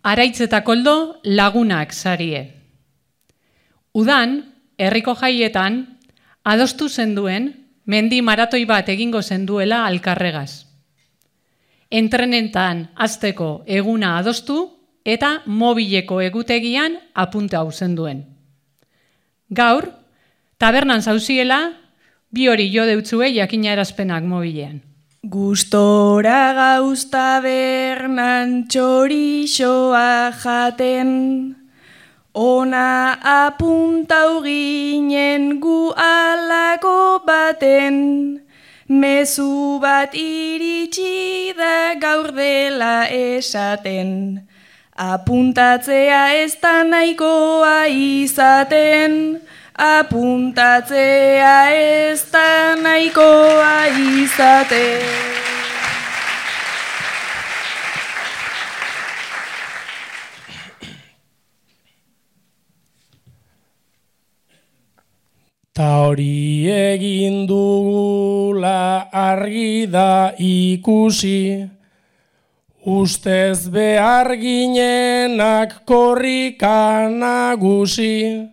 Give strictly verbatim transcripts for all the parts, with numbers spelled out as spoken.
Araitz eta Koldo lagunak sarie. Udan, herriko jaietan, adostu zenduen, mendi maratoi bat egingo zenduela Alkarregaz. Entrenetan hasteko eguna adostu eta mobileko egutegian apunte hau zenduen. Gaur, tabernan zauziela, bi hori jo deutzue jakina erazpenak mobilean. Gustora gauz tabernan txorixoa jaten, ona apuntau ginen gu alako baten, mezu bat iritsi da gaur dela esaten, apuntatzea ez da nahikoa izaten, apuntatzea ez da nahikoa izaten. Ta hori egin dugula argi da ikusi, ustez behar ginenak korrika nagusi,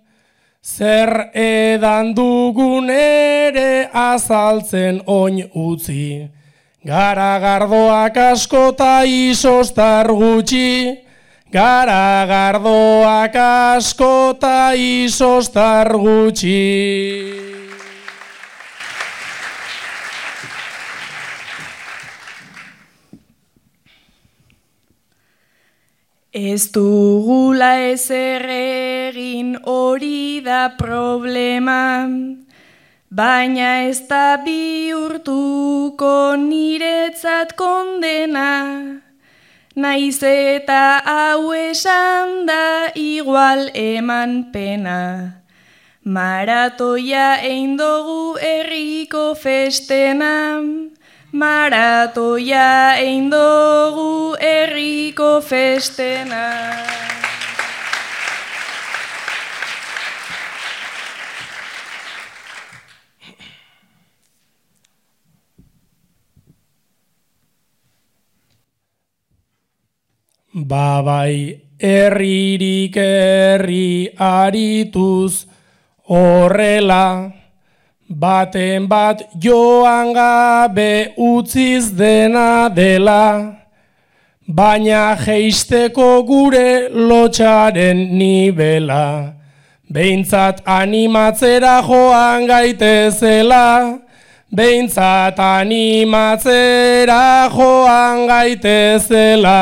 zer edan dugun ere azaltzen oin utzi, garagardoak asko ta isostar gutxi, garagardoak asko ta isostar gutxi. Ez dugula ezer egin hori da problema, baina ez da bihurtuko niretzat kondena, naiz eta hau esan da igual eman pena. Maratoia egin dugu herriko festena, maratoia egin dugu herriko festena. Babai herririk herri arituz horrela, baten bat joan gabe utziz dena dela, baina jeisteko gure lotxaren nibela, behintzat animatzera joan gaitezela, behintzat animatzera joan gaitezela.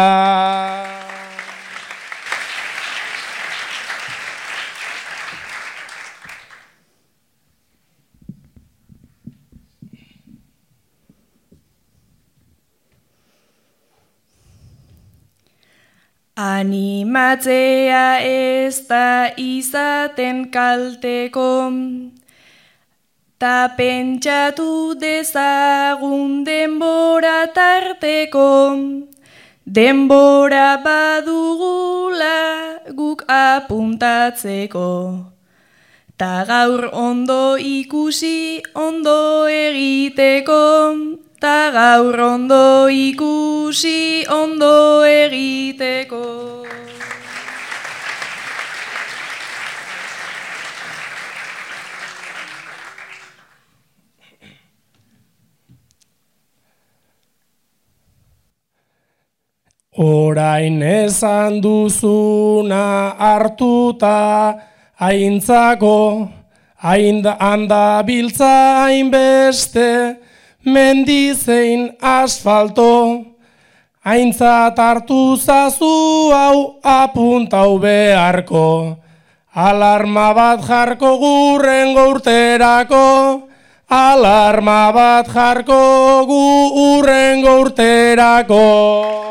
Animatzea ez da izaten kalteko, ta pentsatu dezagun denbora tarteko, denbora badugula guk apuntatzeko. Ta gaur ondo ikusi ondo egiteko, ta gaur ondo ikusi ondo egiteko. Orain esan duzuna hartuta aintzako, handa biltza hainbeste, mendizein asfalto, aintzat hartu zazu hau apuntau beharko, alarma bat jarko gurrengo urterako, alarma bat jarko gu urrengo urterako.